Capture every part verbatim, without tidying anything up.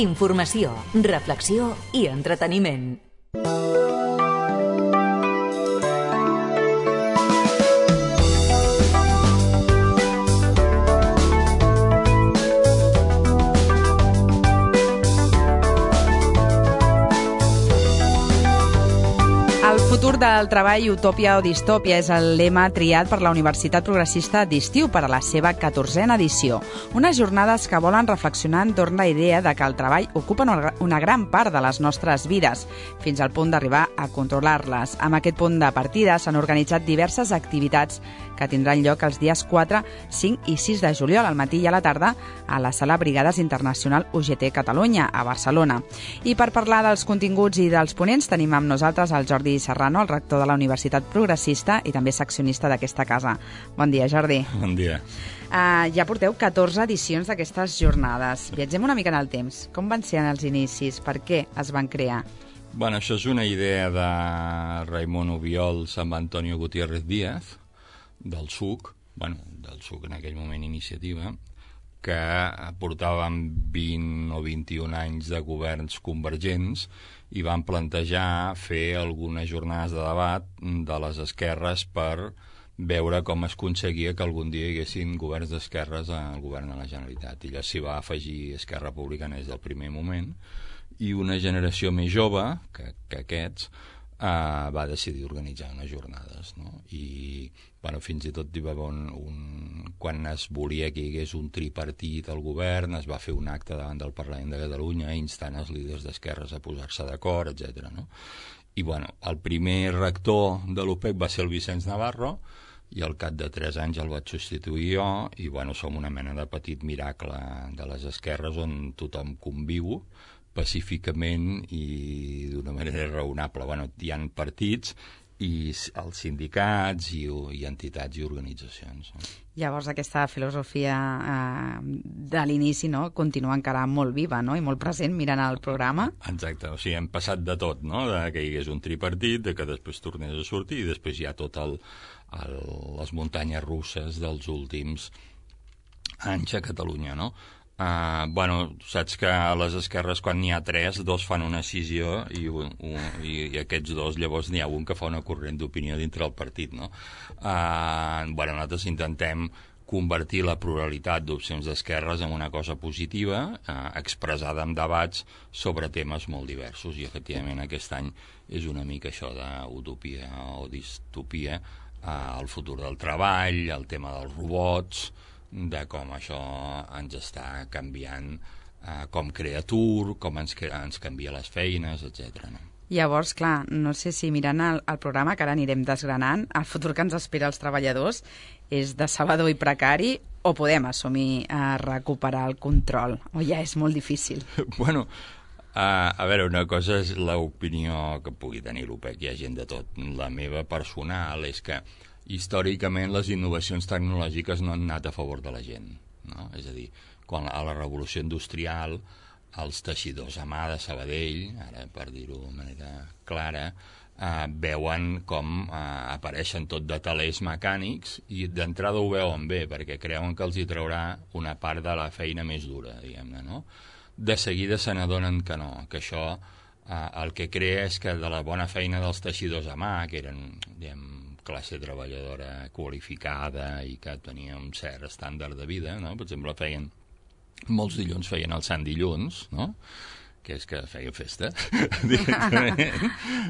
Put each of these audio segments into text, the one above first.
Informació, reflexió i entreteniment. El futur del treball, utòpia o distòpia, és el lema triat per la Universitat Progressista d'Estiu per a la seva catorzena edició. Unes jornades que volen reflexionar entorn la idea de que el treball ocupa una gran part de les nostres vides, fins al punt d'arribar a controlar-les. Amb aquest punt de partida s'han organitzat diverses activitats que tindran lloc els dies quatre, cinc i sis de juliol, al matí i a la tarda, a la Sala Brigades Internacional U G T Catalunya, a Barcelona. I per parlar dels continguts i dels ponents tenim amb nosaltres el Jordi Serrano, el rector de la Universitat Progressista i també seccionista d'aquesta casa. Bon dia, Jordi. Bon dia. Uh, ja porteu catorze edicions d'aquestes jornades. Viatgem una mica en el temps. Com van ser en els inicis? Per què es van crear? Bueno, això és una idea de Raimon Obiols amb Antonio Gutiérrez Díaz, del S U C, bueno, del S U C en aquell moment Iniciativa, que portàvem vint o vint-i-un anys de governs convergents i van plantejar fer algunes jornades de debat de les esquerres per veure com es aconseguia que algun dia hi haguessin governs d'esquerres al govern de la Generalitat. I allà s'hi va afegir Esquerra Republicana des del primer moment i una generació més jove que, que aquests Uh, va decidir organitzar unes jornades, no? I bueno, fins i tot hi va haver un, un... quan es volia que hi hagués un tripartit al govern, es va fer un acte davant del Parlament de Catalunya instant els líders d'esquerres a posar-se d'acord, etcètera, no? I bueno, el primer rector de l'U P E C va ser el Vicenç Navarro i al cap de tres anys el vaig substituir jo i bueno, som una mena de petit miracle de les esquerres on tothom conviu pacíficament i d'una manera raonable. Bueno, hi ha partits i els sindicats i, i entitats i organitzacions. No? Llavors aquesta filosofia eh, de l'inici, no?, continua encara molt viva, no?, i molt present mirant el programa. Exacte, o sigui, hem passat de tot, no?, de que hi hagués un tripartit, de que després tornés a sortir i després hi ha tot el, el, les muntanyes russes dels últims anys a Catalunya, no? Uh, bueno, saps que a les esquerres quan n'hi ha tres, dos fan una escissió i, un, un, i, i aquests dos llavors n'hi ha un que fa una corrent d'opinió dintre el partit, no? Uh, bueno, nosaltres intentem convertir la pluralitat d'opcions d'esquerres en una cosa positiva, uh, expressada en debats sobre temes molt diversos i efectivament aquest any és una mica això d'utopia o distopia, uh, el futur del treball, el tema dels robots, de com això ens està canviant, eh, com crea atur, com ens, ens canvia les feines, etcètera. No? Llavors, clar, no sé si mirant el, el programa, que ara anirem desgranant, el futur que ens espera als treballadors és decebedor i precari o podem assumir a recuperar el control? O ja és molt difícil? Bueno, Uh, a veure, una cosa és l'opinió que pugui tenir l'U P E C, hi ha gent de tot. La meva personal és que històricament les innovacions tecnològiques no han anat a favor de la gent, no? És a dir, quan a la revolució industrial els teixidors a mà de Sabadell, ara per dir-ho de manera clara, eh, veuen com eh, apareixen tot de talers mecànics i d'entrada ho veuen bé perquè creuen que els hi traurà una part de la feina més dura, diguem-ne, no? De seguida se n'adonen que no, que això eh, el que crea és que de la bona feina dels teixidors a mà, que eren, diguem, classe treballadora qualificada i que tenia un cert estàndard de vida, no? Per exemple, feien, molts dilluns feien el Sant Dilluns, no? Que és que feien festa, directament.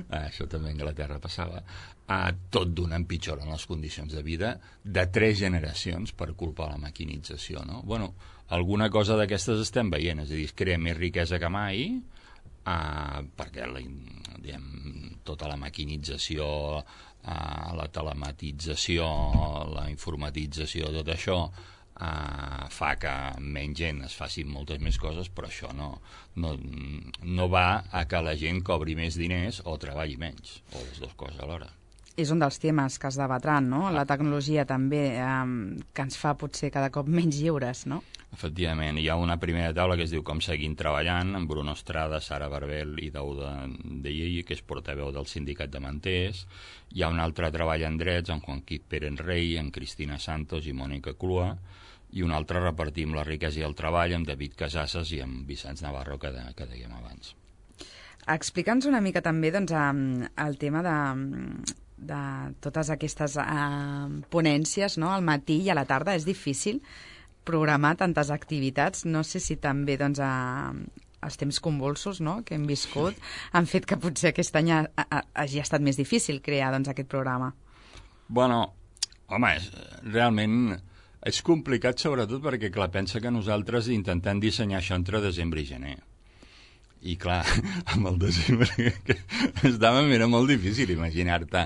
Ah, això també a Anglaterra passava. Ah, tot d'una empitjoren les condicions de vida de tres generacions per culpa de la maquinització, no? Bueno, alguna cosa d'aquestes estem veient, és a dir, es crea més riquesa que mai, ah, perquè la, diguem, tota la maquinització, ah, la telematització, la informatització, tot això, Uh, fa que menys gent es facin moltes més coses, però això no, no, no va a que la gent cobri més diners o treballi menys, o les dues coses alhora. És un dels temes que es debatran, no? La tecnologia també, um, que ens fa potser cada cop menys lliures, no? Efectivament, hi ha una primera taula que es diu Com seguim treballant, amb Bruno Estrada, Sara Barbel i Dauda de Llei, que és portaveu del sindicat de manters. Hi ha un altre treball en drets, amb Juan Quim Pérez Rey, amb Cristina Santos i Mònica Clua, i un altre repartim la riquesa i el treball amb David Casasses i amb Vicenç Navarro, que, de, que dèiem abans. Explica'ns una mica també doncs, el tema de, de totes aquestes uh, ponències, no?, al matí i a la tarda. És difícil programar tantes activitats. No sé si també doncs, uh, els temps convulsos, no?, que hem viscut han fet que potser aquest any ha, ha, hagi estat més difícil crear doncs, aquest programa. Bueno, home, és, realment és complicat sobretot perquè, clar, pensa que nosaltres intentem dissenyar això entre desembre i gener. I, clar, amb el desembre que estava, era molt difícil imaginar-te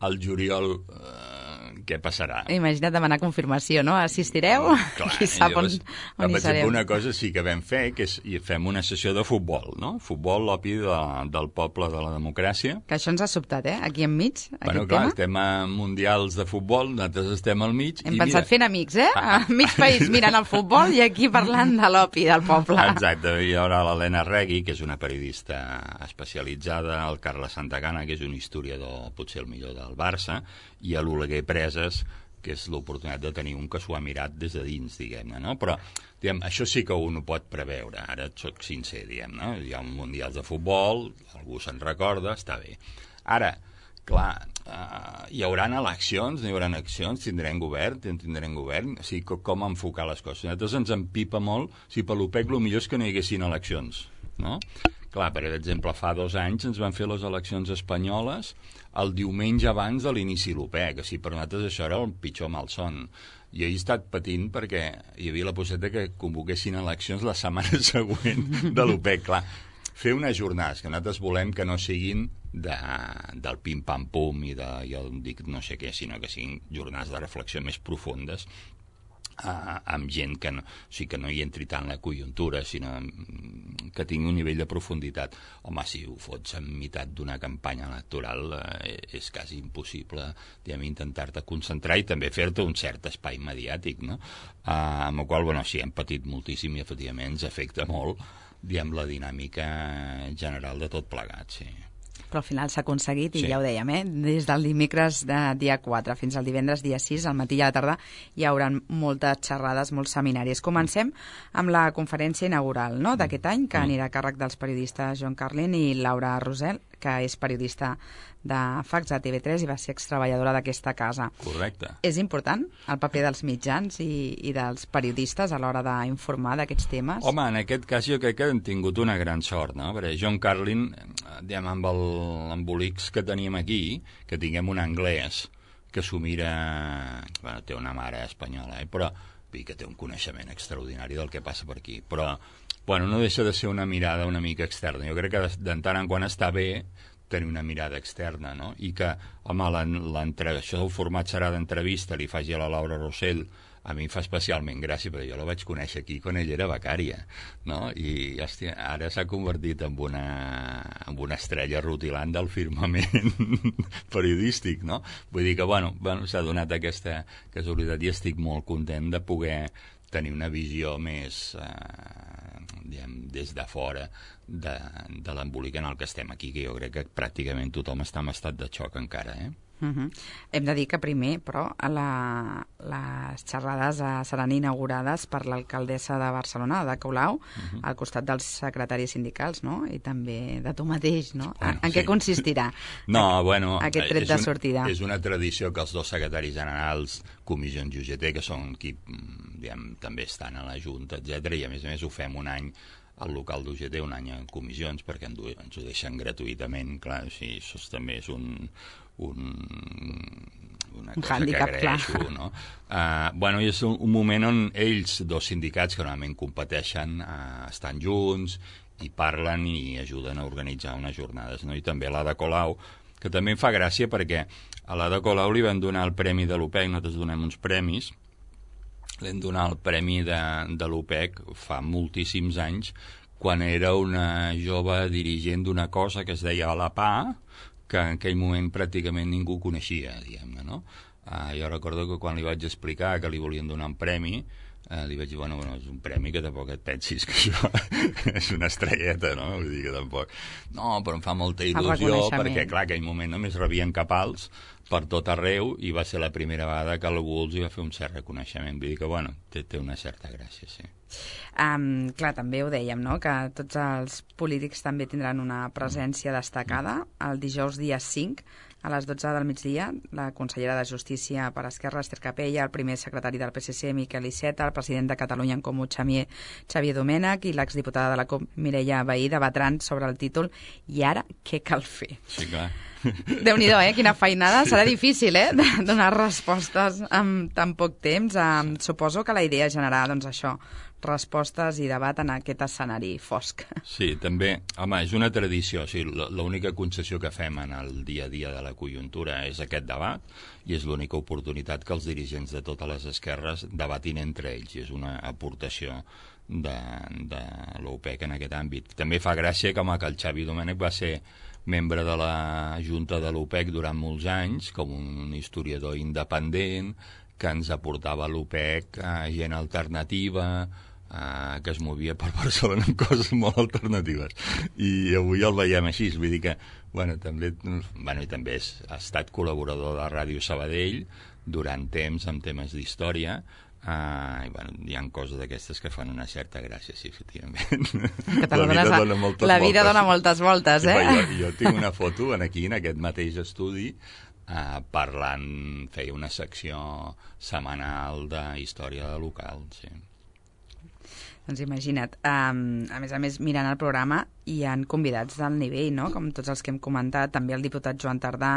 al juliol eh, què passarà. Imagina't demanar confirmació, no? Assistireu? Clar, qui sap on, llavors, on hi serem. Una cosa sí que vam fer, que és i fem una sessió de futbol, no? Futbol, l'opi de, del poble de la democràcia. Que això ens ha sobtat, eh? Aquí enmig, bueno, aquest clar, tema. Estem a mundials de futbol, nosaltres estem al mig. Hem i pensat mira... fent amics, eh? A mig país mirant el futbol i aquí parlant de l'opi del poble. Exacte, i ara l'Helena Regui, que és una periodista especialitzada, el Carles Santagana, que és un historiador, potser el millor del Barça, i a l'Oleguer Preses, que és l'oportunitat de tenir un que s'ho ha mirat des de dins, diguem-ne, no? Però, diguem, això sí que un ho pot preveure, ara et soc sincer, diguem-ne, hi ha un mundial de futbol, algú se'n recorda, està bé. Ara, clar, uh, hi haurà eleccions, no hi haurà eleccions, tindrem govern, tindrem govern, o sigui, com enfocar les coses. Nosaltres ens empipa molt, si per l'OPEC el millor és que no hi haguessin eleccions, no? Clar, per exemple, fa dos anys ens van fer les eleccions espanyoles el diumenge abans de l'inici de l'OPEC. O sigui, per nosaltres això era el pitjor malson. Jo he estat patint perquè hi havia la possibilitat que convoquessin eleccions la setmana següent de l'OPEC. Clar, fer unes jornades que nosaltres volem que no siguin de, del pim-pam-pum i de, jo dic no sé què, sinó que siguin jornades de reflexió més profundes, Uh, amb gent que no, o sigui, que no hi entri tant la conjuntura, sinó que tingui un nivell de profunditat. Home, si ho fots en meitat d'una campanya electoral uh, és quasi impossible, diguem, intentar-te concentrar i també fer-te un cert espai mediàtic, no? Uh, amb el qual, bueno, sí, hem patit moltíssim i efectivament ens afecta molt, diguem, la dinàmica general de tot plegat, sí. Però al final s'ha aconseguit, i sí. ja ho dèiem, eh? Des del dimecres de dia quatre fins al divendres dia sis, al matí i a la tarda, hi haurà moltes xerrades, molts seminaris. Comencem amb la conferència inaugural, no?, d'aquest any, que anirà a càrrec dels periodistes John Carlin i Laura Rosell, que és periodista de Fax a T V tres i va ser extreballadora d'aquesta casa. Correcte. És important el paper dels mitjans i, i dels periodistes a l'hora d'informar d'aquests temes? Home, en aquest cas jo crec que hem tingut una gran sort, no? Perquè John Carlin, diguem, amb l'embolics que teníem aquí, que tinguem un anglès que s'ho mira... Bueno, té una mare espanyola, eh? Però que té un coneixement extraordinari del que passa per aquí. Però, bueno, no deixa de ser una mirada una mica externa. Jo crec que de tant en quant està bé tenir una mirada externa, no? I que, home, això del format serà d'entrevista, li faci a la Laura Rosell, a mi em fa especialment gràcia, perquè jo la vaig conèixer aquí quan ella era becària, no? I, hòstia, ara s'ha convertit en una, en una estrella rutilant del firmament periodístic, no? Vull dir que, bueno, bueno s'ha donat aquesta casualitat i estic molt content de poder tenir una visió més, eh, diguem, des de fora de, de l'embolic en el que estem aquí, que jo crec que pràcticament tothom està en estat de xoc encara, eh? Uh -huh. Hem de dir que primer, però, la, les xerrades uh, seran inaugurades per l'alcaldessa de Barcelona, Ada Colau, uh -huh. al costat dels secretaris sindicals, no? I també de tu mateix, no? Bueno, en sí. Què consistirà no, bueno, aquest tret de sortida? Un, és una tradició que els dos secretaris generals, comissions i U G T, que són qui, diguem, també estan a la Junta, etcètera, i a més a més ho fem un any al local d'U G T, un any en comissions, perquè ens ho deixen gratuïtament, clar, o sigui, això també és un... un, una un cosa handicap, que agraeixo, clar. No? Uh, bueno, és un, un moment on ells, dos sindicats que normalment competeixen, uh, estan junts i parlen i ajuden a organitzar unes jornades, no? I també l'Ada Colau, que també em fa gràcia perquè a l'Ada Colau li van donar el premi de l'OPEC, nosaltres donem uns premis, l'hem donat el premi de, de l'OPEC fa moltíssims anys, quan era una jove dirigent d'una cosa que es deia la P A, que en aquell moment pràcticament ningú coneixia, diguem-ne, no? Uh, jo recordo que quan li vaig explicar que li volien donar un premi, uh, li vaig dir, bueno, bueno, és un premi que tampoc et pensis que això és una estrelleta, no? Vull dir que tampoc... No, però em fa molta il·lusió, perquè, clar, en aquell moment només rebien capals, per tot arreu i va ser la primera vegada que algú els hi va fer un cert reconeixement. Vull dir que, bueno, té, té una certa gràcia, sí. Um, clar, també ho dèiem, no?, que tots els polítics també tindran una presència destacada. El dijous dia cinc, a les dotze del migdia, la consellera de Justícia per Esquerra, Esther Capella, el primer secretari del P S C, Miquel Iceta, el president de Catalunya en Comú, Xavier, Xavier Domènech, i l'exdiputada de la CUP, Mireia Vehí, debatran sobre el títol "I ara què cal fer?". Sí, clar. Déu-n'hi-do, eh? Quina feinada. Serà difícil, eh?, de donar respostes en tan poc temps. Um, suposo que la idea és generar, doncs, això, respostes i debat en aquest escenari fosc. Sí, també, home, és una tradició. O sigui, l'única concessió que fem en el dia a dia de la conjuntura és aquest debat, i és l'única oportunitat que els dirigents de totes les esquerres debatin entre ells, i és una aportació de, de l'U P E C en aquest àmbit. També fa gràcia que, home, que el Xavi Domènech va ser membre de la Junta de l'U P E C durant molts anys, com un historiador independent, que ens aportava a l'U P E C a gent alternativa, eh, que es movia per Barcelona amb coses molt alternatives. I avui el veiem així, vull dir que, bueno, també, bueno, i també és, ha estat col·laborador de Ràdio Sabadell durant temps amb temes d'història. Uh, i bueno, hi ha coses d'aquestes que fan una certa gràcia, sí, efectivament. Que la vida dona moltes la vida voltes. dona moltes voltes, eh? Jo, jo tinc una foto en aquí, en aquest mateix estudi, uh, parlant, feia una secció setmanal de història local, sí. Doncs imagina't, um, a més a més, mirant el programa hi han convidats del nivell, no?, com tots els que hem comentat, també el diputat Joan Tardà,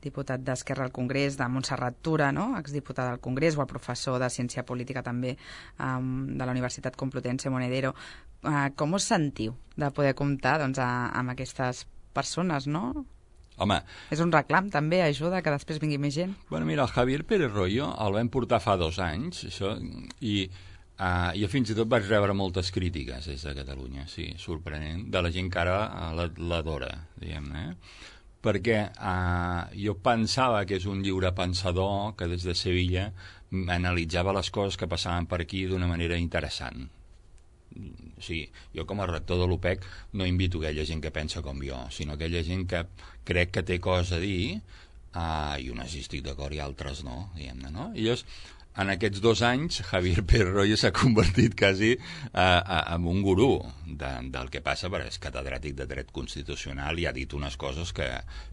diputat d'Esquerra al Congrés, de Montserrat Tura, no?, exdiputada al Congrés, o el professor de Ciència Política també um, de la Universitat Complutense Monedero. Uh, com us sentiu de poder comptar, doncs, a, amb aquestes persones, no? Home... És un reclam, també, ajuda que després vingui més gent. Bueno, mira, el Javier Pérez Royo el vam portar fa dos anys, això, i, uh, i fins i tot vaig rebre moltes crítiques des de Catalunya, sí, sorprenent, de la gent que ara l'adora, diguem-ne, eh? Perquè uh, jo pensava que és un lliure pensador que des de Sevilla analitzava les coses que passaven per aquí d'una manera interessant. O sigui, jo com a rector de l'U P E C no invito aquella gent que pensa com jo, sinó aquella gent que crec que té coses a dir, uh, i unes hi estic d'acord i altres no, diguem-ne, no? I llavors, en aquests dos anys, Javier Pérez Royo s'ha convertit quasi uh, uh, en un gurú de, del que passa, perquè és catedràtic de dret constitucional i ha dit unes coses que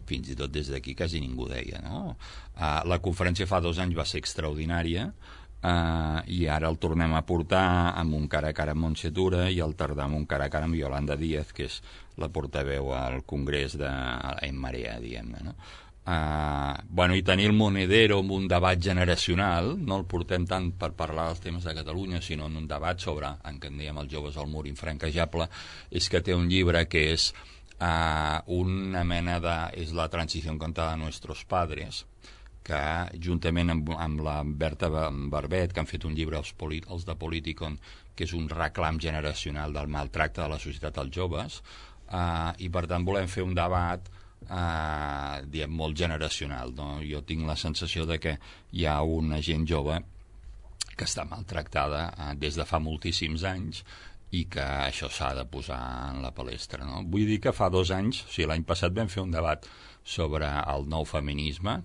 fins i tot des d'aquí quasi ningú deia, no? Uh, la conferència fa dos anys va ser extraordinària, uh, i ara el tornem a portar amb un cara a cara amb Montse Tura i el tardar amb un cara a cara amb Yolanda Díaz, que és la portaveu al Congrés de en Marea, diguem-ne, no? Uh, bueno, i tenir el Monedero amb un debat generacional, no el portem tant per parlar dels temes de Catalunya, sinó en un debat sobre, en què en dèiem els joves al mur infranquejable, és que té un llibre que és uh, una mena de... és la transició contada de nuestros padres, que juntament amb, amb la Berta Barbet, que han fet un llibre els, polit, els de Politicon, que és un reclam generacional del maltracte de la societat als joves, uh, i per tant volem fer un debat Uh, diem, molt generacional, no? Jo tinc la sensació de que hi ha una gent jove que està maltractada uh, des de fa moltíssims anys i que això s'ha de posar en la palestra, no? Vull dir que fa dos anys, o sigui, l'any passat vam fer un debat sobre el nou feminisme,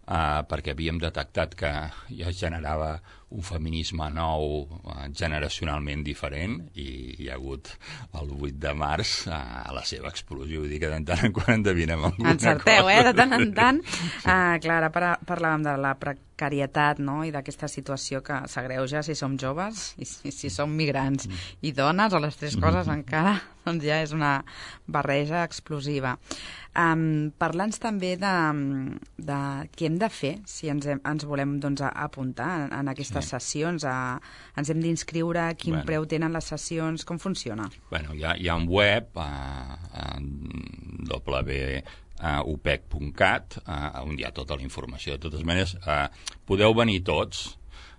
uh, perquè havíem detectat que ja es generava un feminisme nou, uh, generacionalment diferent, i hi ha hagut el vuit de març uh, a la seva explosió. Vull dir que de tant en quan endevinem alguna Encerteu, cosa. eh? De tant en tant. Sí. Uh, clar, ara par parlàvem de la precarietat, no?, i d'aquesta situació que s'agreuja si som joves i si, si som migrants mm. i dones, o les tres coses mm. encara, doncs ja és una barreja explosiva. Um, Parla'ns també de, de què hem de fer si ens, hem, ens volem, doncs, apuntar en, en aquestes sí. sessions, a, ens hem d'inscriure, quin bueno. preu tenen les sessions, com funciona? Bueno, hi ha, hi ha un web, a, a w u p e c punt cat, on hi ha tota la informació. De totes maneres, uh, podeu venir tots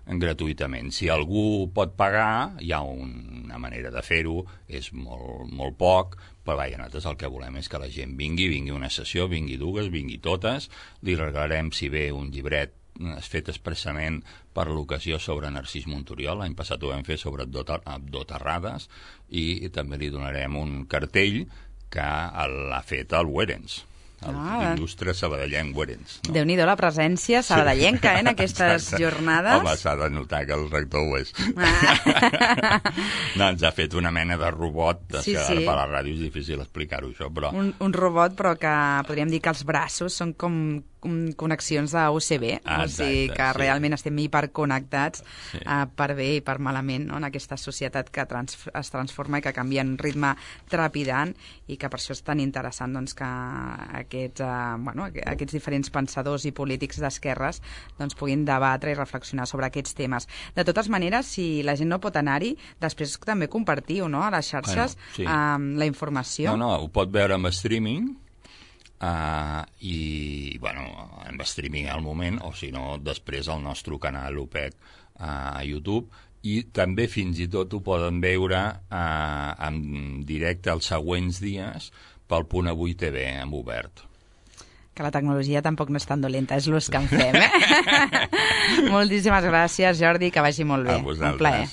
gratuïtament. Si algú pot pagar, hi ha un, una manera de fer-ho, és molt, molt poc, però vaja, nosaltres el que volem és que la gent vingui, vingui una sessió, vingui dues, vingui totes, li regalarem, si ve, un llibret fet expressament per l'ocasió sobre Narcís Monturiol. L'any passat ho vam fer sobre Abdó Terrades, i també li donarem un cartell que l'ha fet el Werens. el Ah. il·lustre sabadellenc Guerens. No? Déu-n'hi-do la presència sabadellenca, eh, en aquestes Exacte. jornades. Home, s'ha de notar que el rector ho és. Ah. No, ens ha fet una mena de robot, Sí, que sí. ara per la ràdio és difícil explicar-ho, això, però... Un, un robot, però que podríem dir que els braços són com com connexions de U S B, Ah, o sigui exacte, que sí. realment estem hiperconnectats Sí. uh, per bé i per malament, no? En aquesta societat que trans es transforma i que canvia en ritme trepidant, i que per això és tan interessant doncs, que aquests, uh, bueno, aquests diferents pensadors i polítics d'esquerres doncs, puguin debatre i reflexionar sobre aquests temes. De totes maneres, si la gent no pot anar-hi, després també compartiu, no?, a les xarxes Bueno, sí. um, la informació. No, no, ho pot veure amb streaming, uh, i, bueno, amb streaming al moment, o si no, després al nostre canal O P E C uh, a YouTube, i també fins i tot ho poden veure uh, en directe els següents dies pel Punt Avui T V, en obert. Que la tecnologia tampoc no és tan dolenta, és l'ús que en fem, eh? Moltíssimes gràcies, Jordi, que vagi molt bé. A vosaltres. Un plaer.